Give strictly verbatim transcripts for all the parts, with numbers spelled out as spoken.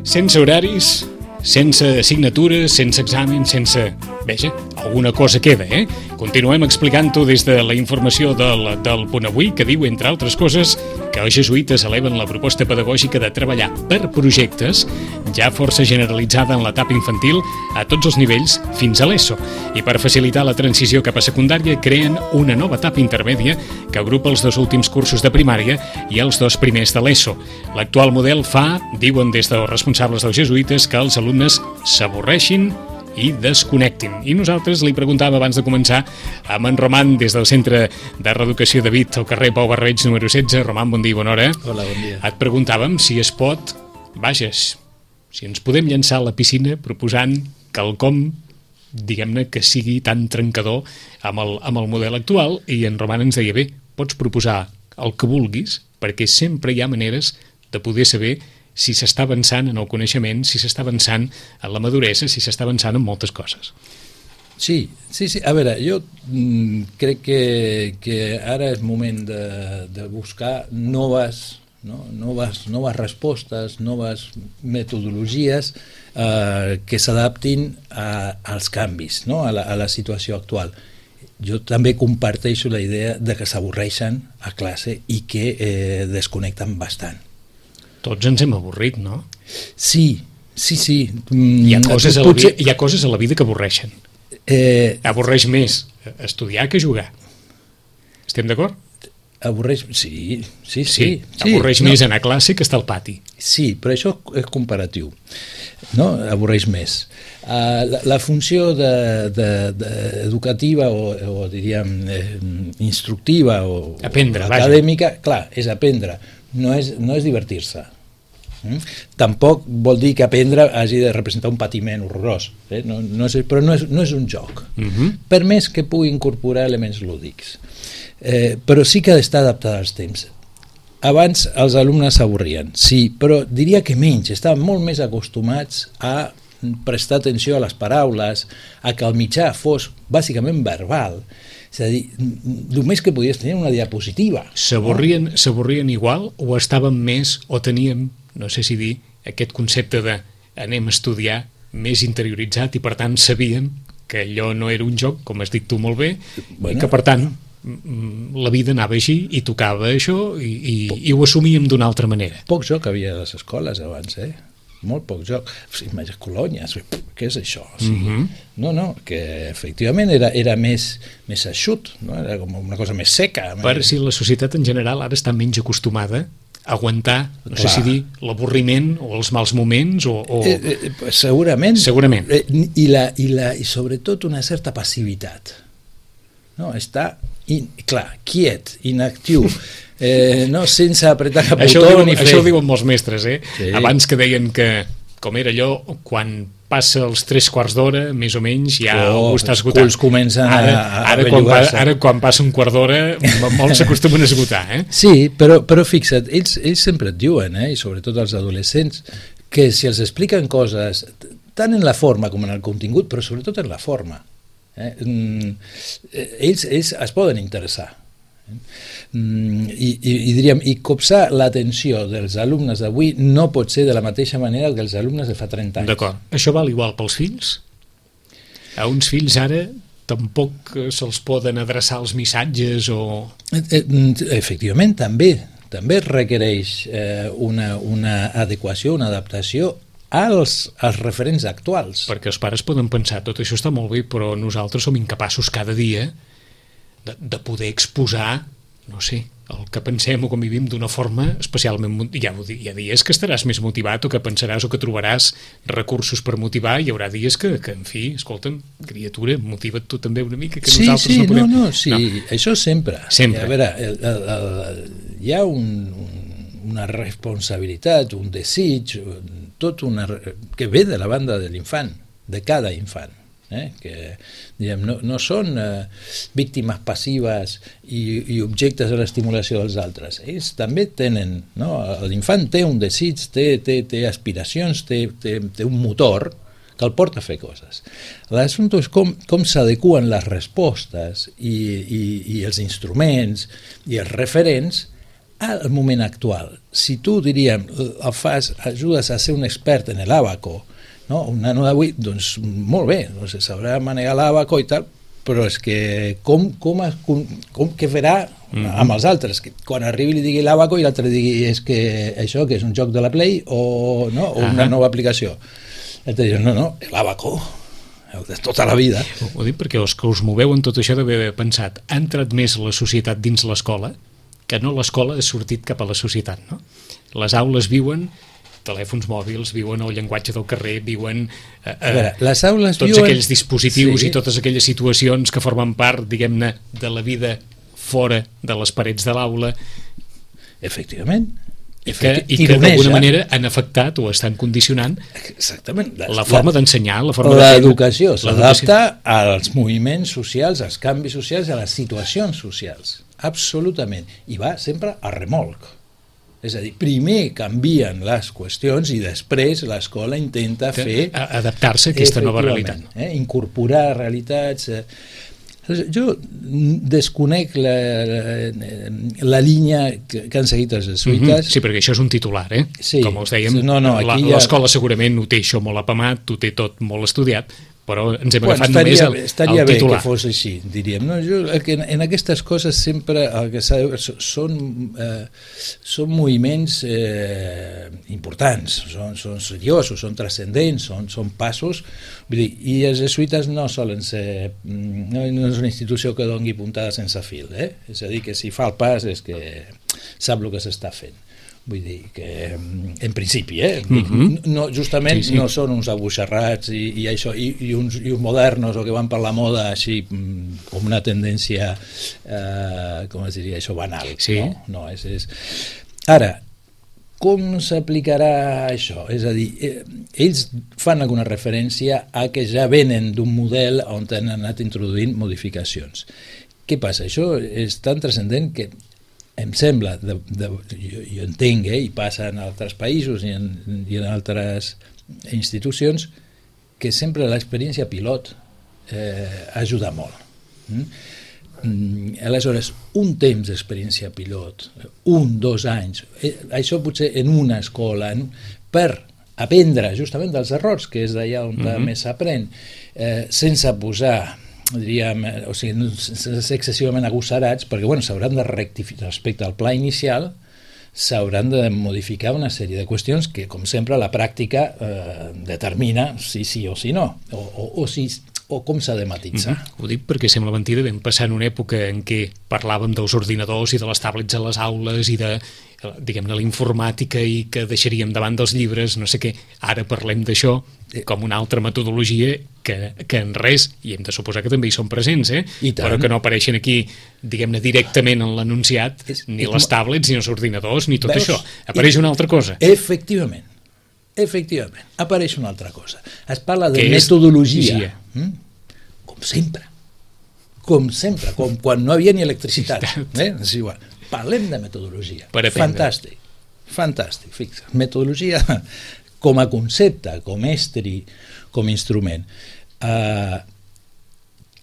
Sense horaris, sense assignatures, sense exàmens, sense... Veja, alguna cosa queda, eh? Continuem explicant-ho des de la informació del, del Punt Avui, que diu, entre altres coses, que els jesuïtes eleven la proposta pedagògica de treballar per projectes ja força generalitzada en l'etapa infantil a tots els nivells fins a l'ESO. I per facilitar la transició cap a secundària creen una nova etapa intermèdia que agrupa els dos últims cursos de primària i els dos primers de l'ESO. L'actual model fa, diuen des dels responsables dels jesuïtes, que els alumnes s'avorreixin i desconnectin. I nosaltres li preguntàvem abans de començar amb en Roman des del Centre de Reeducació de Vic al carrer Pau Barreig número setze. Roman, bon dia, bona hora. Hola, bon dia. Et preguntàvem si es pot, vages, si ens podem llançar a la piscina proposant quelcom, diguem-ne, que sigui tan trencador amb el, amb el model actual, i en Roman ens deia, bé, pots proposar el que vulguis, perquè sempre hi ha maneres de poder saber si s'està avançant en el coneixement, si s'està avançant en la maduresa, si s'està avançant en moltes coses. Sí, sí, sí. A veure, jo mm, crec que, que ara és moment de, de buscar noves, no? noves, noves respostes, noves metodologies eh, que s'adaptin als canvis, no? a, la, a la situació actual. Jo també comparteixo la idea de que s'avorreixen a classe i que eh, desconnecten bastant. Tots ens hem avorrit, no? Sí, sí, sí. Hi ha coses, a la, Potser... hi ha coses a la vida que avorreixen. Eh... Avorreix més estudiar que jugar. Estem d'acord? Avorreix... Sí, sí, sí. sí. sí. Avorreix no. més anar a classe que estar al pati. Sí, però això és comparatiu. No? Avorreix més. Uh, la, la funció de, de, de educativa o, o diríem eh, instructiva o aprendre, acadèmica, vaja. Clar, és aprendre. No és, no és divertir-se. Mm? Tampoc vol dir que aprendre hagi de representar un patiment horrorós, eh? no, no és, però no és, no és un joc, uh-huh. per més que pugui incorporar elements lúdics. Eh, però sí que ha d'estar adaptada als temps. Abans els alumnes s'avorrien, sí, però diria que menys, estaven molt més acostumats a prestar atenció a les paraules, a que el mitjà fos bàsicament verbal. És a dir, només que podies tenir una diapositiva. S'avorrien, no? S'avorrien igual o estàvem més, o teníem, no sé si dir, aquest concepte de anem a estudiar més interioritzat i per tant sabíem que allò no era un joc, com has dit tu molt bé, bueno, i que per tant la vida anava així i tocava això i, i, i ho assumíem d'una altra manera. Poc joc havia a les escoles abans, eh? Molt poc joc. Imagina colònies, què és això? O sigui, uh-huh. No, no, que efectivament era, era més, més eixut, no? Era com una cosa més seca. Per si la societat en general ara està menys acostumada a aguantar, no Clar. sé si dir, l'avorriment o els mals moments o... o... Eh, eh, segurament. Segurament. Eh, i, la, i, la, I sobretot una certa passivitat. No? Està, in, clar, quiet, inactiu, eh, no, sense apretar cap això botó diuen, ni fer... Això ho diuen molts mestres, eh? Sí. Abans que deien que, com era allò, quan passa els tres quarts d'hora, més o menys, ja oh, ho està esgotant. Els culs comencen ara, a, a ara, quan pa, ara quan passa un quart d'hora, molts s'acostumen a esgotar, eh? Sí, però, però fixa't, ells, ells sempre et diuen, eh, i sobretot els adolescents, que si els expliquen coses, tant en la forma com en el contingut, però sobretot en la forma, eh, ells, ells es poden interessar. I, i, i diríem, i copsar l'atenció dels alumnes d'avui no pot ser de la mateixa manera que els alumnes de fa trenta anys. D'acord. Això val igual pels fills? A uns fills ara tampoc se'ls poden adreçar els missatges o... Efectivament, també també requereix eh, una, una adequació, una adaptació als, als referents actuals. Perquè els pares poden pensar, tot això està molt bé, però nosaltres som incapaços cada dia de, de poder exposar, no sé, el que pensem o com vivim d'una forma especialment... Hi ha, hi ha dies que estaràs més motivat o que pensaràs o que trobaràs recursos per motivar, hi haurà dies que, que en fi, escolta'm, criatura, motiva't tu també una mica, que sí, nosaltres sí, no podem... No, no, sí, no. Això sempre. Sempre. A veure, el, el, el, hi ha un, un, una responsabilitat, un desig, tot una, que ve de la banda de l'infant, de cada infant. Eh? Que diguem, no, no són eh, víctimes passives i, i objectes de l'estimulació dels altres. Ells també tenen, no? L'infant té un desig, té, té, té aspiracions, té, té, té un motor que el porta a fer coses. L'assumpte és com, com s'adequen les respostes i, i, i els instruments i els referents al moment actual, si tu, diríem, el fas, ajudes a ser un expert en l'àbaco, no? Un nano d'avui, doncs molt bé, doncs sabrà manegar l'àbaco i tal, però és que com, com, com, com que farà mm-hmm. amb els altres, que quan arribi li digui l'àbaco i l'altre digui és que això que és un joc de la Play o, no? o una uh-huh. nova aplicació. L'altre diu, no, no, l'àbaco, el de tota la vida. Ho dic perquè els que us moveu en tot això d'haver pensat, ha entrat més la societat dins l'escola que no l'escola ha sortit cap a la societat, no? Les aules viuen telèfons mòbils, viuen el llenguatge del carrer, viuen eh, a veure, les aules tots viuen... aquells dispositius sí. i totes aquelles situacions que formen part, diguem-ne, de la vida fora de les parets de l'aula. Efectivament. I que, i que d'alguna manera han afectat o estan condicionant Exactament. la forma d'ensenyar, la forma l'educació s'adapta als moviments socials, als canvis socials, a les situacions socials. Absolutament. I va sempre a remolc. És a dir, primer canvien les qüestions i després l'escola intenta fer... adaptar-se a aquesta nova realitat. Eh, incorporar realitats... Eh. Jo desconec la, la, la línia que, que han seguit els jesuïtes. Mm-hmm. Sí, perquè això és un titular, eh? Sí. Com us dèiem, no, no, l'escola ja... segurament ho té això molt apamat, ho té tot molt estudiat, però ens hem bueno, agafat estaria, només el, estaria el titular. Bé que fos així, diríem. No, jo, en, en aquestes coses sempre el que s'ha de veure són, eh, són moviments eh, importants, són, són seriosos, són transcendents, són, són passos. Vull dir, i els jesuïtes no solen ser... No, no és una institució que doni puntada sense fil, eh? És a dir, que si fa el pas és que sap el que s'està fent. Vull dir que, en principi, eh? Mm-hmm. no, justament sí, sí. no són uns abuixarrats i, i això, i, i, uns, i uns modernos o que van per la moda així com una tendència, eh, com es diria això, banal. Sí. No? No, és, és... Ara, com s'aplicarà això? És a dir, eh, ells fan alguna referència a que ja venen d'un model on han anat introduint modificacions. Què passa? Això és tan transcendent que em sembla, de, de, jo, jo entenc, eh, i passa en altres països i en, i en altres institucions, que sempre l'experiència pilot eh, ajuda molt. Mm? Mm, aleshores, un temps d'experiència pilot, un, dos anys, eh, això potser en una escola, en, per aprendre justament dels errors, que és d'allà on mm-hmm. més s'aprèn, eh, sense posar... diríem, o sigui, sense ser excessivament agosarats, perquè bueno, s'hauran de rectificar respecte al pla inicial, s'hauran de modificar una sèrie de qüestions que, com sempre, la pràctica eh, determina si sí o si no, o, o, o, si, o com s'ha de matitzar. Mm-hmm. Ho dic perquè sembla mentida, vam passar en una època en què parlàvem dels ordinadors i de les tablets a les aules i de, diguem-ne, la informàtica i que deixaríem davant dels llibres, no sé què. Ara parlem d'això com una altra metodologia que, que en res, i hem de suposar que també hi són presents, eh? Però que no apareixen aquí, diguem-ne, directament en l'anunciat, ni les tablets, ni els ordinadors, ni tot Veus? Això. Apareix una altra cosa. Efectivament. Efectivament. Apareix una altra cosa. Es parla de metodologia. Mm? Com sempre. Com sempre. Com quan no havia ni electricitat. Eh? És igual. Parlem de metodologia. Fantàstic. Fantàstic. Fixa. Metodologia... com a concepte, com estri, com instrument. Uh,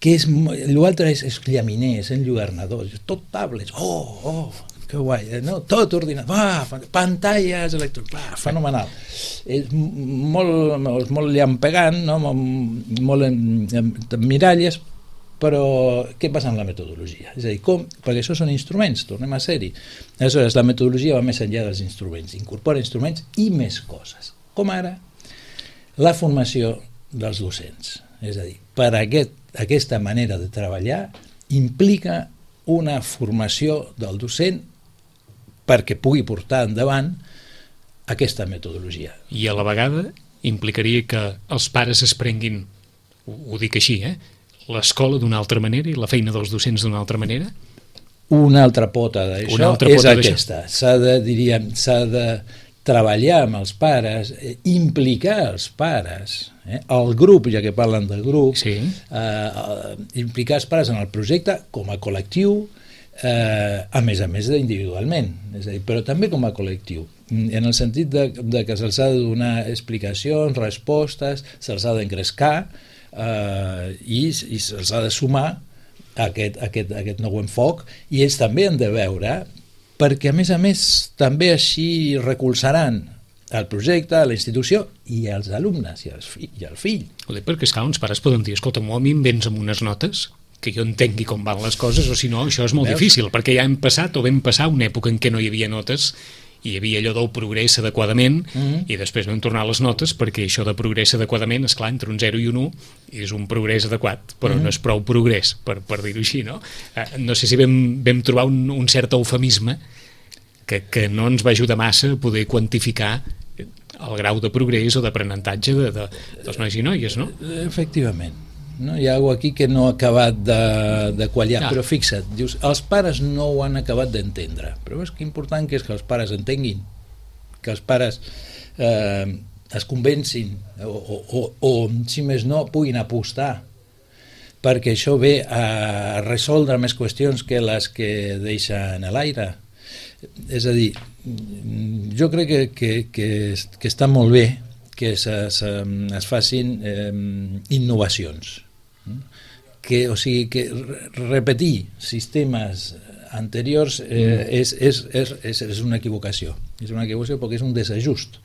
que és, l'altre és, és llaminer, és enlluernador, tot tablets, oh, oh, que guai, no? Tot ordinador, ah, pantalles electròniques, ah, fenomenal. És molt, molt, molt llampegant, no? molt, molt amb miralles, però què passa amb la metodologia? És a dir, com? Perquè això són instruments, tornem a ser-hi. Aleshores, la metodologia va més enllà dels instruments, incorpora instruments i més coses. Com ara la formació dels docents. És a dir, per aquest, aquesta manera de treballar implica una formació del docent perquè pugui portar endavant aquesta metodologia. I a la vegada implicaria que els pares es prenguin, ho, ho dic així, eh? l'escola d'una altra manera i la feina dels docents d'una altra manera? Una altra pota d'això és aquesta. S'ha de, diríem, s'ha de treballar amb els pares, eh, implicar els pares, eh, el grup, ja que parlen del grup, sí. eh, implicar els pares en el projecte com a col·lectiu, eh, a més a més individualment, és a dir, però també com a col·lectiu, en el sentit de, de que se'ls ha de donar explicacions, respostes, se'ls ha d'engrescar eh, i, i se'ls ha de sumar a aquest, a aquest, a aquest nou enfoc, i ells també han de veure perquè a més a més també així recolzaran el projecte, la institució i els alumnes i, els fi, i el fill. Joder, perquè esclar, uns pares poden dir, escolta, a mi em vens amb unes notes que jo entengui com van les coses, o si no, això és molt Veus? difícil, perquè ja hem passat o vam passar una època en què no hi havia notes i hi havia allò del progrés adequadament mm-hmm. i després vam tornar a les notes perquè això de progrés adequadament, esclar, entre un zero i un u és un progrés adequat, però mm-hmm. no és prou progrés, per, per dir-ho així, no? Eh, no sé si vam, vam trobar un, un cert eufemisme que, que no ens va ajudar massa a poder quantificar el grau de progrés o d'aprenentatge de, de, dels nois i noies, no? Efectivament. No? Hi ha alguna aquí que no ha acabat de, de quallar, ah. però fixa't, dius, els pares no ho han acabat d'entendre, però és que important que és que els pares entenguin, que els pares eh, es convencin o, o, o, o, si més no, puguin apostar, perquè això ve a resoldre més qüestions que les que deixen a l'aire. És a dir, jo crec que, que, que, que està molt bé que es, es, es facin eh, innovacions, que, o sigui, que repetir sistemes anteriors eh, mm. és, és, és, és, és una equivocació, és una equivocació perquè és un desajust.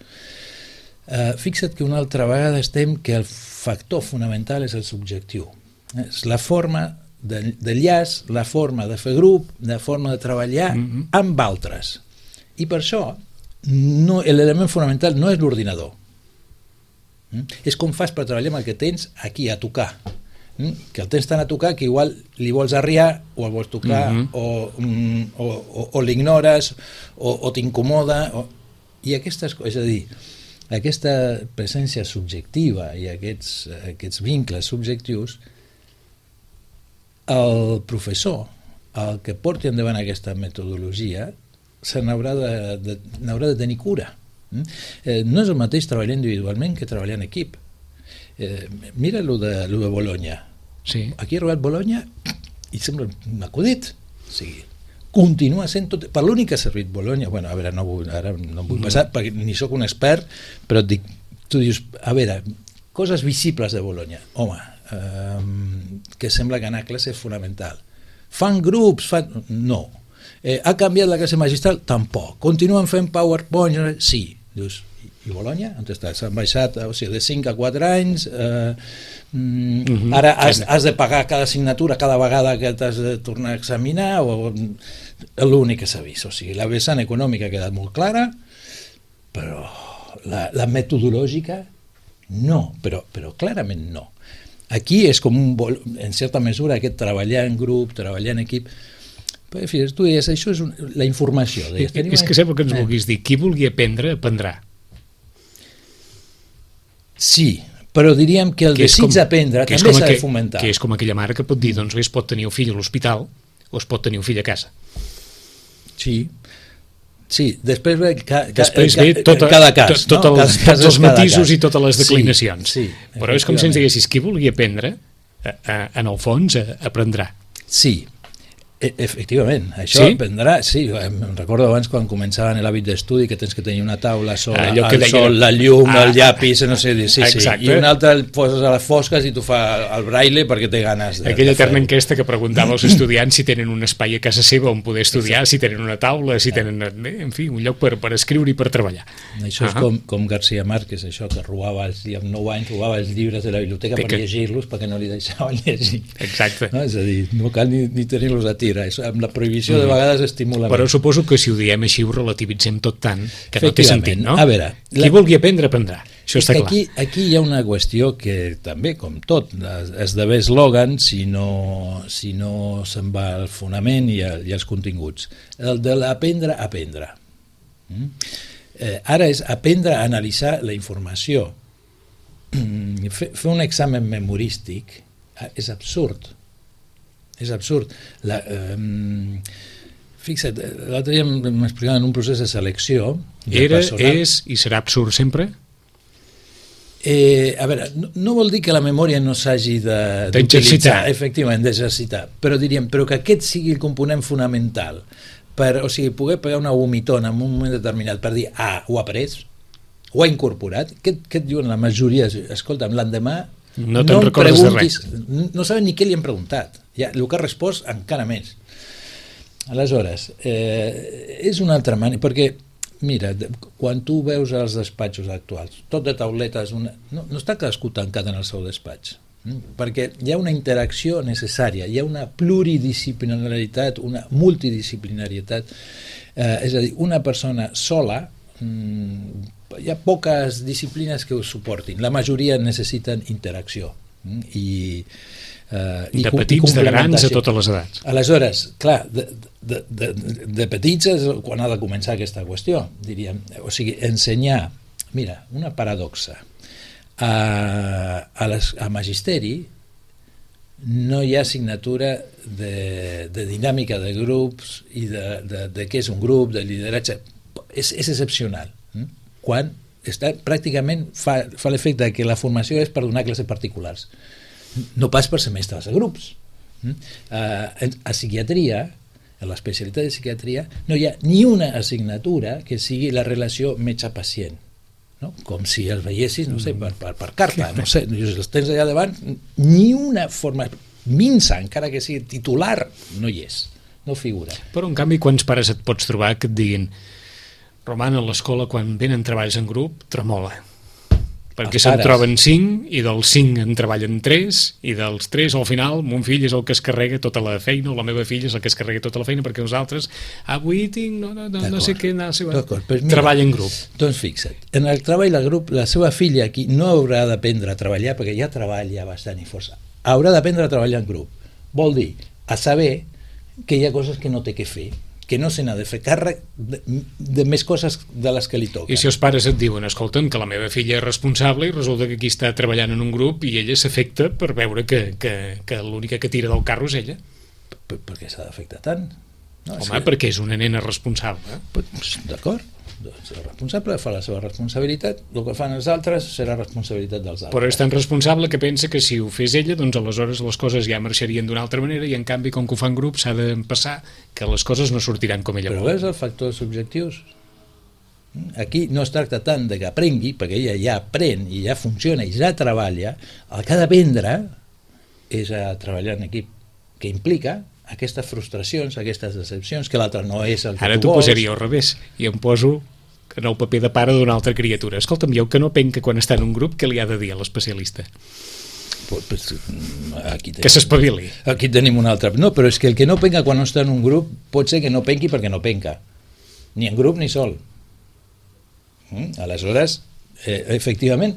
Eh, fixa't que una altra vegada estem que el factor fonamental és el subjectiu, és la forma de, de llaç, la forma de fer grup, la forma de treballar mm-hmm. amb altres. I per això no, l'element fonamental no és l'ordinador. Mm? És com fas per treballar amb el que tens aquí a tocar. Mm? Que el tens tant a tocar que igual li vols arriar o el vols tocar mm-hmm. o, mm, o, o, o l'ignores o, o t'incomoda. O... I aquestes coses, és a dir, aquesta presència subjectiva i aquests, aquests vincles subjectius, el professor, el que porti endavant aquesta metodologia, se n'haurà de, de, n'haurà de tenir cura. Eh, no és el mateix treballar individualment que treballar en equip. Eh, mira lo de, lo de Bologna. Sí. Aquí ha arribat Bologna i sembla un acudit. O sigui, continua sent tot... Per l'únic que ha servit Bologna, bueno, a veure, no vull, ara no vull passar, perquè ni sóc un expert, però et dic, tu dius, a veure, coses visibles de Bologna. Home, eh, que sembla que anar a classe és fonamental. Fan grups? Fan... No. Eh, ha canviat la classe magistral? Tampoc. Continuen fent PowerPoint? Sí. Dius, i Bologna? On està? S'han baixat, o sigui, de cinc a quatre anys, eh, mm, uh-huh. ara has, has de pagar cada assignatura cada vegada que t'has de tornar a examinar, o l'únic que s'ha vist. O sigui, la vessant econòmica ha quedat molt clara, però la, la metodològica no, però, però clarament no. Aquí és com un, en certa mesura, aquest treballar en grup, treballar en equip. Però, fixa't, tu deies, això és un, la informació. Deies, tenim... És que sembla que ens vulguis dir, qui vulgui aprendre, aprendrà. Sí, però diríem que el que desig d'aprendre també s'ha de fomentar. Que és com aquella mare que pot dir, doncs bé, es pot tenir el fill a l'hospital o es pot tenir el fill a casa. Sí, sí, després ve, ca, ca, després ca, ve tota, cada cas, tot, tot no? els, tots els matisos i totes les declinacions. Sí, sí, però és com si ens diguessis, qui vulgui aprendre, a, a, en el fons, a, aprendrà. Sí, efectivament, això sí? Aprendrà, sí, em recordo abans quan començaven l'hàbit d'estudi que tens que tenir una taula sola, ah, el sol, la llum, ah, el llapis, no sé dir, sí, sí, i una altra el poses a les fosques i tu fa el braille perquè té ganes de, aquella de eterna enquesta que preguntava als estudiants si tenen un espai a casa seva on poder estudiar, si tenen una taula, si tenen, en fi, un lloc per, per escriure i per treballar. Això és uh-huh. com, com García Márquez, això, que robava els, amb nou anys robava els llibres de la biblioteca per que... llegir-los perquè no li deixaven llegir. Exacte. No? És a dir, no cal ni, ni tenir-los a tira, amb la prohibició de vegades estimula. Però suposo que si ho diem així ho relativitzem tot tant que no té sentit, no? A veure, qui la... vulgui aprendre, aprendrà. Això està clar. Aquí, aquí hi ha una qüestió que també, com tot, esdevé eslògan si no, si no se'n va al fonament i, a, i als continguts. El de l'aprendre, aprendre. Mm? Eh, ara és aprendre a analitzar la informació. Fer, fer un examen memorístic és absurd. És absurd. La, eh, fixa't, l'altre dia m'explicaven un procés de selecció de Era, personal. És i serà absurd sempre? Eh, a veure, no, no vol dir que la memòria no s'hagi d'utilitzar, efectivament, d'exercitar, però diríem, però que aquest sigui el component fonamental, per, o sigui, poder pegar una vomitona en un moment determinat per dir, ah, ho ha après, ho ha incorporat, què, què et diuen la majoria? Escolta'm, l'endemà no te'n no recordes de res. No saben ni què li han preguntat. Ja, el que ha respost encara més. Aleshores, eh, és una altra manera, perquè, mira, quan tu veus els despatxos actuals, tot de tauletes, una, no, no està cadascú tancat en el seu despatx, hm? perquè hi ha una interacció necessària, hi ha una pluridisciplinaritat, una multidisciplinarietat, eh, és a dir, una persona sola, hm, hi ha poques disciplines que ho suportin, la majoria necessiten interacció, hm? i Uh, de petits, de grans, a totes les edats. Aleshores, clar, de, de, de, de petits és quan ha de començar aquesta qüestió, diríem. O sigui, ensenyar, mira, una paradoxa, a, a, les, a magisteri no hi ha assignatura de, de dinàmica de grups i de, de, de què és un grup, de lideratge. És, és excepcional. Hm? Quan està, pràcticament fa, fa l'efecte que la formació és per donar classes particulars, no pas per semestres a grups. Uh, a psiquiatria, a l'especialitat de psiquiatria, no hi ha ni una assignatura que sigui la relació metge-pacient, no? Com si els veiessis, no sé, per, per, per carta, no sé, els tens allà davant, ni una forma minsa, encara que sigui titular, no hi és, no figura. Però en canvi, quants pares et pots trobar que et diguin: Roman, a l'escola quan venen treballs en grup tremola, perquè se'n troben cinc i dels cinc en treballen tres i dels tres al final mon fill és el que es carrega tota la feina o la meva filla és el que es carrega tota la feina perquè nosaltres avui tinc no, no, no, no sé què no sé, pues treball en grup. Doncs fixa't, en el treball de grup la seva filla aquí no haurà d'aprendre a treballar perquè ja treballa bastant i força, haurà d'aprendre a treballar en grup, vol dir a saber que hi ha coses que no té que fer, que no se n'ha de fer càrrec de, de més coses de les que li toquen. I si els pares et diuen, escolta'm, que la meva filla és responsable i resulta que aquí està treballant en un grup i ella s'afecta per veure que, que, que l'única que tira del carro és ella. Per, per què s'ha d'afectar tant? No, Home, que... perquè és una nena responsable. Pues, d'acord, doncs el responsable fa la seva responsabilitat, el que fan els altres serà responsabilitat dels altres. Però és tan responsable que pensa que si ho fes ella, doncs aleshores les coses ja marxarien d'una altra manera i en canvi, com que ho fan grup, s'ha de passar que les coses no sortiran com ella Però vol. Però veus els factors subjectius? Aquí no es tracta tant de que aprengui, perquè ella ja aprèn i ja funciona i ja treballa, el que ha d'aprendre és a treballar en equip, que implica aquestes frustracions, aquestes decepcions, que l'altre no és el que Ara tu vols. Ara t'ho posaria al revés i em poso en el paper de pare d'una altra criatura. Escolta'm, jo que no penca quan està en un grup, què li ha de dir a l'especialista? Pues, pues, aquí tenim, que s'espavili. Aquí tenim un altre. No, però és que el que no penca quan no està en un grup pot ser que no penqui perquè no penca. Ni en grup ni sol. Mm? Aleshores, eh, efectivament,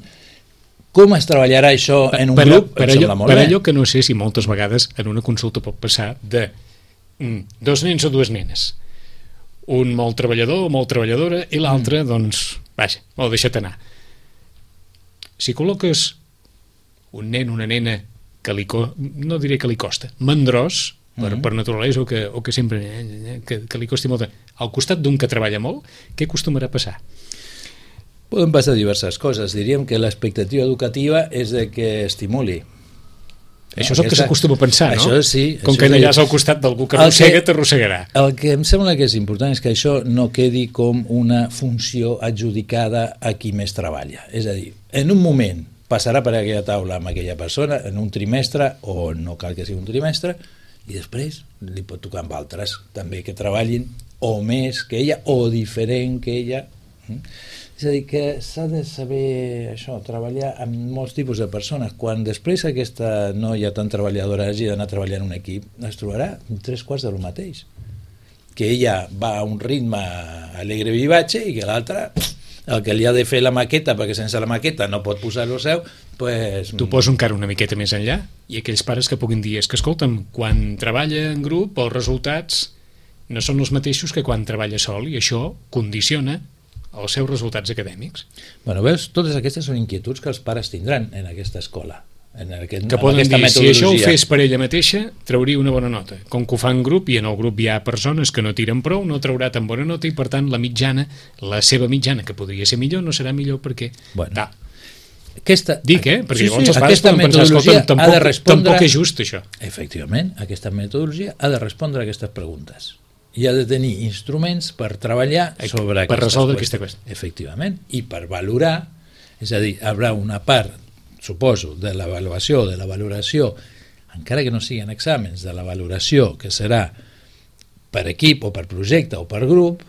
com es treballarà això en un per, grup? Per, per, allò, per allò que no sé si moltes vegades en una consulta pot passar de mm, dos nens o dues nenes, un molt treballador o molt treballadora i l'altre, mm. doncs, vaja, ho deixa't anar. Si col·loques un nen, una nena que li, no diré que li costa, mandrós, per, mm. per naturalesa o que, o que sempre eh, que, que li costi molt, al costat d'un que treballa molt, què acostumarà a passar? Poden passar diverses coses. Diríem que l'expectativa educativa és de que estimuli. Això és el que s'acostuma a pensar, no? Això sí. Com que allà és al costat d'algú que arrossega, t'arrossegarà. El que em sembla que és important és que això no quedi com una funció adjudicada a qui més treballa. És a dir, en un moment passarà per aquella taula amb aquella persona, en un trimestre, o no cal que sigui un trimestre, i després li pot tocar amb altres, també que treballin o més que ella, o diferent que ella. És a dir, que s'ha de saber això, treballar amb molts tipus de persones. Quan després aquesta noia tan treballadora hagi d'anar a treballar en un equip, es trobarà tres quarts de lo mateix. Que ella va a un ritme alegre vivatge i que l'altra, el que li ha de fer la maqueta, perquè sense la maqueta no pot posar-lo seu, pues... Tu poso encara una miqueta més enllà i aquells pares que puguin dir, és que escolta'm, quan treballa en grup els resultats no són els mateixos que quan treballa sol i això condiciona els seus resultats acadèmics. Bueno, veus, totes aquestes són inquietuds que els pares tindran en aquesta escola. En aquest, que poden dir, si això ho fes per ella mateixa, trauria una bona nota. Com que ho fa en grup, i en el grup hi ha persones que no tiren prou, no traurà tan bona nota, i per tant la mitjana, la seva mitjana, que podria ser millor, no serà millor perquè... Bueno, aquesta, dic, eh? Perquè sí, llavors sí, els pares poden pensar, escolta, tampoc, respondre, tampoc és just això. Efectivament, aquesta metodologia ha de respondre a aquestes preguntes. I ha de tenir instruments per treballar sobre per resoldre aquesta qüestió. Efectivament, i per valorar, és a dir, hi haurà una part, suposo, de l'avaluació, de la valoració, encara que no siguin exàmens, de la valoració que serà per equip o per projecte o per grup,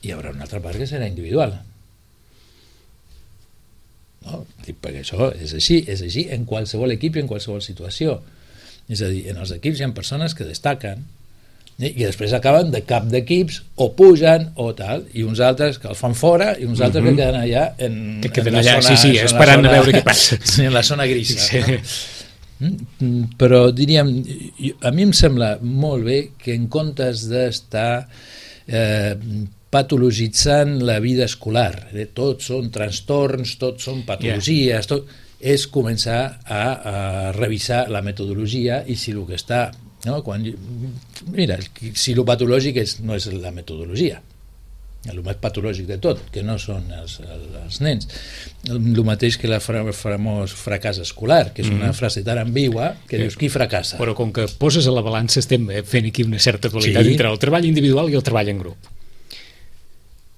hi haurà una altra part que serà individual. No? Perquè això és així, és així en qualsevol equip i en qualsevol situació. És a dir, en els equips hi ha persones que destaquen i després acaben de cap d'equips o pugen o tal, i uns altres que els fan fora i uns altres mm-hmm. que queden allà en, que queden en la allà, zona, sí, sí, esperant zona, a veure què passa en la zona grisa, sí. no? Però diríem, a mi em sembla molt bé que en comptes d'estar eh, patologitzant la vida escolar, eh, tots són trastorns, tots són patologies, yeah. tot, és començar a, a revisar la metodologia i si el que està no? Quan, mira, si el patològic és, no és la metodologia, el més patològic de tot, que no són els, els nens, el mateix que la famós fracàs escolar, que és una mm. frase tan ambigua que sí. dius qui fracassa. Però com que poses a la balança estem fent aquí una certa dualitat sí. entre el treball individual i el treball en grup,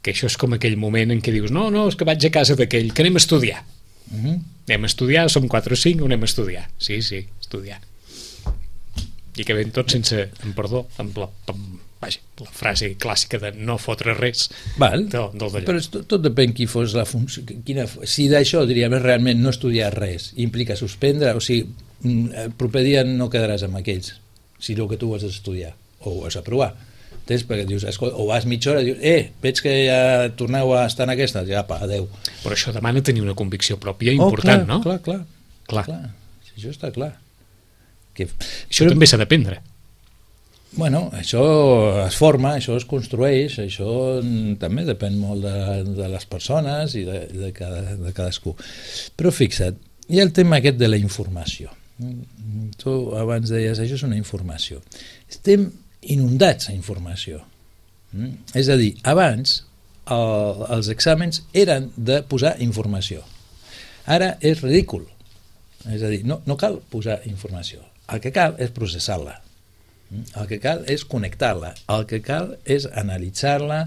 que això és com aquell moment en què dius no, no, és que vaig a casa d'aquell, que anem a estudiar mm-hmm. anem a estudiar, som quatre o cinc o anem a estudiar, sí, sí, estudiar i que ven tot sense, amb perdó, amb la, amb, vaja, la frase clàssica de no fotre res. Val, del, del però tot, tot depèn qui fos la funció. Quina, si d'això, diríem, realment no estudiar res implica suspendre, o sigui, el proper dia no quedaràs amb aquells, si el que tu has d'estudiar, o ho has de provar. Entens? Perquè dius, escolta, o vas mitja hora i dius, eh, veig que ja torneu a estar en aquesta, ja, apa, adeu. Però això demana tenir una convicció pròpia important, oh, clar, no? Clar, clar, clar. clar. Si això està clar. Que... Això però... també s'ha d'aprendre. Bueno, això es forma, això es construeix, això també depèn molt de, de les persones i de, de, cada, de cadascú. Però fixa't, hi ha el tema aquest de la informació. Tu abans deies, això és una informació. Estem inundats a informació. És a dir, abans el, els exàmens eren de posar informació. Ara és ridícul. És a dir, no, no cal posar informació. El que cal és processar-la, el que cal és connectar-la, el que cal és analitzar-la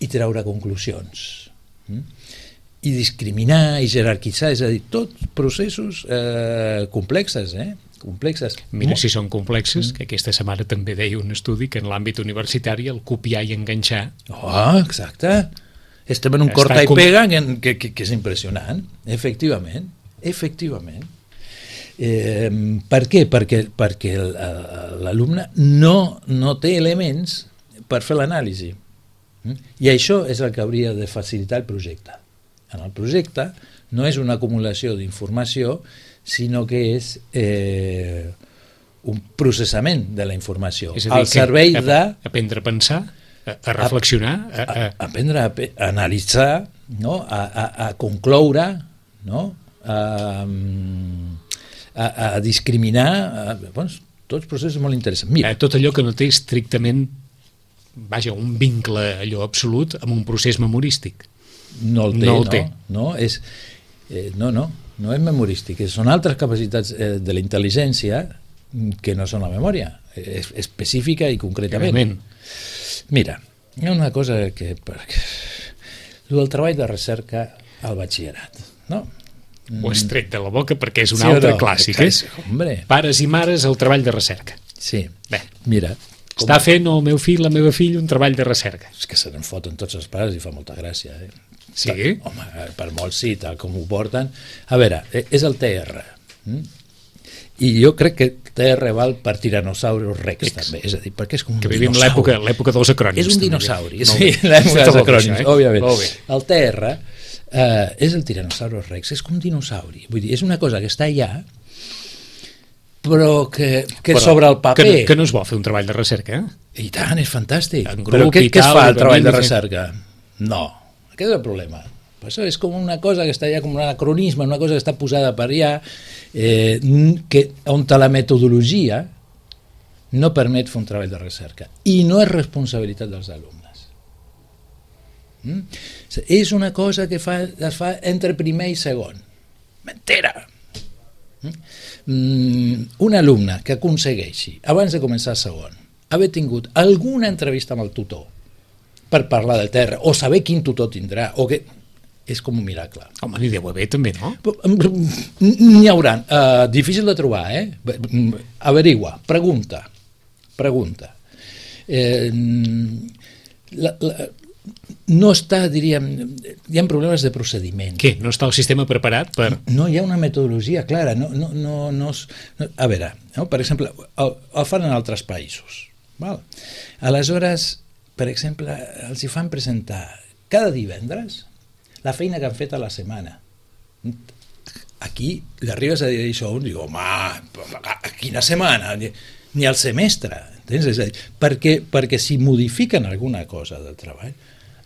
i treure conclusions i discriminar i jerarquitzar, és a dir, tots processos eh, complexes, eh? complexes. Mira si són complexes, que aquesta setmana també deia un estudi que en l'àmbit universitari el copiar i enganxar... Oh, exacte. Estem en un corta i pega que, que, que és impressionant, efectivament, efectivament. Eh, per què? Perquè, perquè l'alumne no, no té elements per fer l'anàlisi. I això és el que hauria de facilitar el projecte. En el projecte no és una acumulació d'informació, sinó que és eh, un processament de la informació. És a dir, al servei a, de... aprendre a pensar, a, a reflexionar... A, a... a aprendre a, a analitzar, no? a, a, a concloure, no? a... A, a discriminar, a, bueno, tots processos molt interessants. Mira. Eh, tot allò que no té estrictament, vaja, un vincle allò absolut amb un procés memorístic. No el té, no. El no, té. no, és, eh, no, no, no és memorístic, són altres capacitats eh, de la intel·ligència que no són la memòria, és específica i concretament. Realment. Mira, hi ha una cosa que... Perquè, el treball de recerca al batxillerat, no? Ho has tret de la boca perquè és un sí altre no? clàssic, eh? Pares i mares, el treball de recerca. Sí, bé, mira... Com... Està fent el meu fill, la meva filla, un treball de recerca. És que se n'en foten tots els pares i fa molta gràcia, eh? Sí? Tal, home, per molts sí, tal com ho porten. A veure, és el T R. Mm? I jo crec que T R val per Tyrannosaurus Rex, X. també. És a dir, perquè és com un que vivim l'època l'època dels acrònims. És un dinosauri, sí, l'època dels acrònims, eh? òbviament. El T R Uh, és el Tyrannosaurus Rex, és com un dinosauri, vull dir, és una cosa que està allà però que, que però, sobre el paper que, que no es vol fer un treball de recerca, eh? I tant, és fantàstic, grup, però què, què es fa el treball de fer... recerca? No, aquest és el problema. Per això és com una cosa que està allà, com un anacronisme, una cosa que està posada per allà, eh, que, on la metodologia no permet fer un treball de recerca i no és responsabilitat dels alumnes. Mm? És una cosa que fa, es fa entre primer i segon. Mentira! Mm? Un alumne que aconsegueixi, abans de començar segon, haver tingut alguna entrevista amb el tutor per parlar del terra, o saber quin tutor tindrà, o que... és com un miracle. Home, n'hi deu haver també, no? N'hi haurà. Uh, difícil de trobar, eh? Averigua, pregunta, pregunta. Eh, la, la, no està, diríem, hi ha problemes de procediment. Què? No està el sistema preparat per... No hi ha una metodologia clara. No, no, no, no, no. A veure, no? Per exemple, el, el fan en altres països. Val? Aleshores, per exemple, els hi fan presentar cada divendres la feina que han fet a la setmana. Aquí li arribes a dir això a un i diu, home, quina setmana? Ni, ni al semestre. Entens? És a dir, perquè, perquè si modifiquen alguna cosa del treball,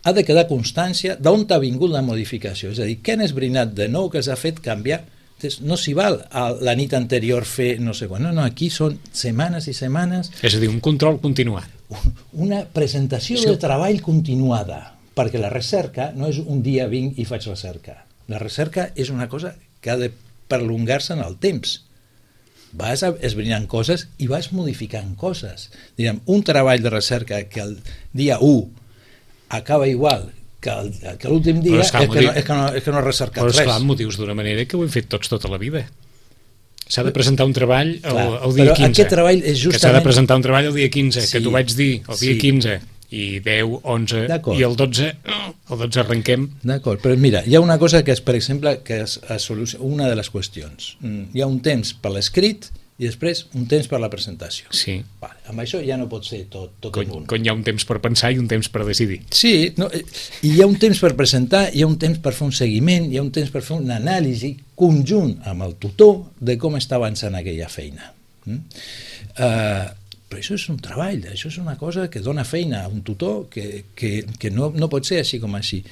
ha de quedar constància d'on ha vingut la modificació, és a dir, què han esbrinat de nou que els ha fet canviar. No s'hi val a la nit anterior fer no sé quan, no, no, aquí són setmanes i setmanes. És a dir, un control continuat. Una presentació sí. de treball continuada, perquè la recerca no és un dia vinc i faig recerca. La recerca és una cosa que ha de prolongar-se en el temps. Vas esbrinant coses i vas modificant coses. Diguem, un treball de recerca que el dia u acaba igual que, el, que l'últim dia és que, motiu... no, és, que no, és que no ha recercat res. Però esclar, motius d'una manera que ho hem fet tots tota la vida. S'ha de presentar un treball el, el dia però quinze. Aquest treball és justament... Que s'ha de presentar un treball el dia quinze, sí, que t'ho vaig dir el dia sí. quinze, i deu, onze, i el dotze, el dotze arrenquem. D'acord, però mira, hi ha una cosa que és, per exemple, que és a solució, una de les qüestions. Hi ha un temps per l'escrit i després un temps per la presentació. Sí. Vale, amb això ja no pot ser tot, tot quan, en un. Quan hi ha un temps per pensar i un temps per decidir. Sí, no, i hi ha un temps per presentar, hi ha un temps per fer un seguiment, hi ha un temps per fer una anàlisi conjunt amb el tutor de com està avançant aquella feina. Mm? Uh, però això és un treball, això és una cosa que dona feina a un tutor que, que, que no, no pot ser així com així.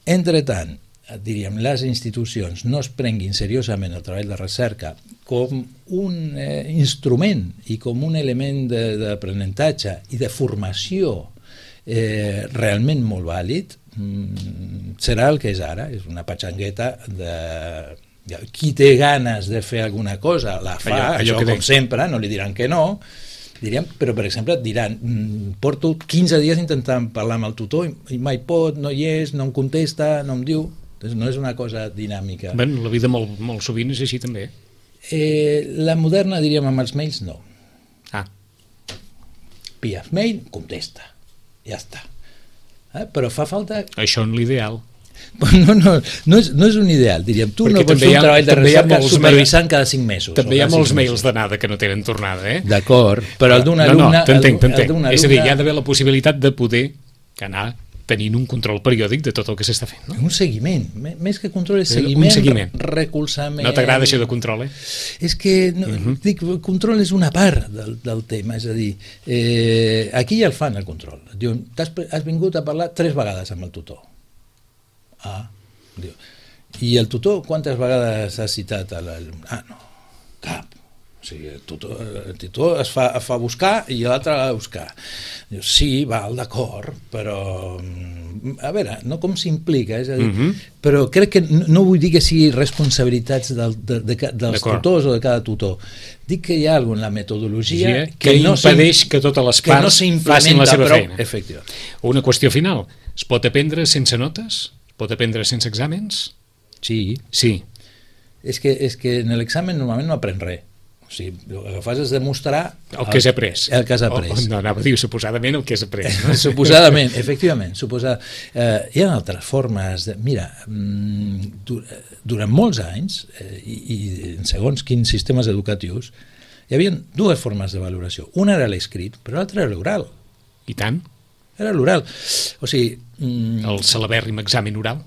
Entretant, diríem, les institucions no es prenguin seriosament el treball de recerca com un eh, instrument i com un element d'aprenentatge i de formació eh, realment molt vàlid, mm, serà el que és ara, és una patxangueta de... Qui té ganes de fer alguna cosa la fa, allò, allò això com sempre, no li diran que no, diríem, però per exemple et diran, porto quinze dies intentant parlar amb el tutor i mai pot, no hi és, no em contesta, no em diu. No és una cosa dinàmica. Ben, la vida molt, molt sovint és així també. Eh, la moderna, diríem, amb els mails, no. Ah. Piaf mail, contesta. Ja està. Eh? Però fa falta... Això en l'ideal. No, no, no, és, no és un ideal, diríem. Tu perquè no pots fer un treball de recerca supervisant cada cinc mesos. També hi ha molts mails d'anada que no tenen tornada, eh? D'acord, però el d'un alumne... No, no, t'entenc, t'entenc. És a dir, hi ha d'haver la possibilitat de poder anar tenint un control periòdic de tot el que s'està fent, no? Un seguiment, més que control és seguiment, un seguiment. Recolzament... No t'agrada això de control, eh? És que, no, uh -huh. dic, control és una part del, del tema, és a dir, eh, aquí ja el fan, el control. Diuen, has, has vingut a parlar tres vegades amb el tutor. Ah, diu, i el tutor quantes vegades ha citat a l'alumne? Ah, no, cap. O sigui, el tutor, el tutor es fa, es fa buscar i l'altre ha de buscar. Diu, sí, val, d'acord, però a veure, no com s'implica, és a dir, uh -huh. però crec que no, no vull dir que sigui responsabilitats del, de, de, de, dels tutors o de cada tutor. Dic que hi ha alguna en la metodologia sí, que, que no impedeix que totes les parts no facin la seva prou, feina. Efectivament. Una qüestió final. Es pot aprendre sense notes? Es pot aprendre sense exàmens? Sí. Sí. És que, és que en l'examen normalment no aprèn res. O sigui, el que fas és demostrar el que has après. El que has après. Oh, no, anava a dir suposadament el que has après. No? Suposadament, efectivament. Suposad... eh, hi ha altres formes. De... Mira, durant molts anys, eh, i, i en segons quins sistemes educatius, hi havia dues formes de valoració. Una era l'escrit, però l'altra era l'oral. I tant. Era l'oral. O sigui... Mm... El celebèrrim examen oral.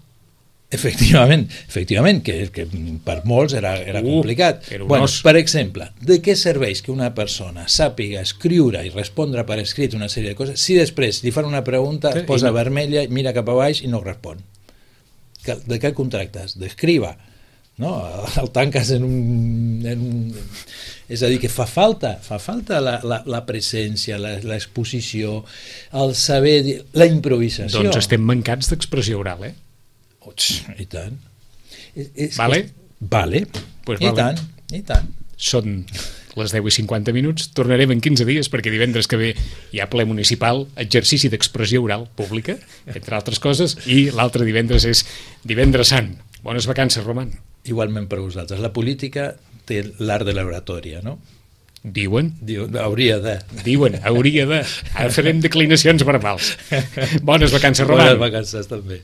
Efectivament, efectivament que, que per molts era, era uh, complicat. Era bueno, per exemple, de què serveix que una persona sàpiga escriure i respondre per escrit una sèrie de coses si després li fan una pregunta, es posa no... vermella, mira cap a baix i no respon? De què el contractes? D'escriva, no? El tanques en un, en un... És a dir, que fa falta, fa falta la, la, la presència, l'exposició, el saber, la improvisació. Doncs estem mancats d'expressió oral, eh? I tant. És, és, vale? És, vale. Pues I vale. tant, i tant. Són les deu i cinquanta minuts. Tornarem en quinze dies perquè divendres que ve hi ha ple municipal, exercici d'expressió oral pública, entre altres coses, i l'altre divendres és Divendres Sant. Bones vacances, Roman. Igualment per vosaltres. La política té l'art de l'oratòria, no? Diuen? Diuen, hauria de. Diuen, hauria de. Ara farem declinacions verbals. Bones vacances, Roman. Bones vacances, també.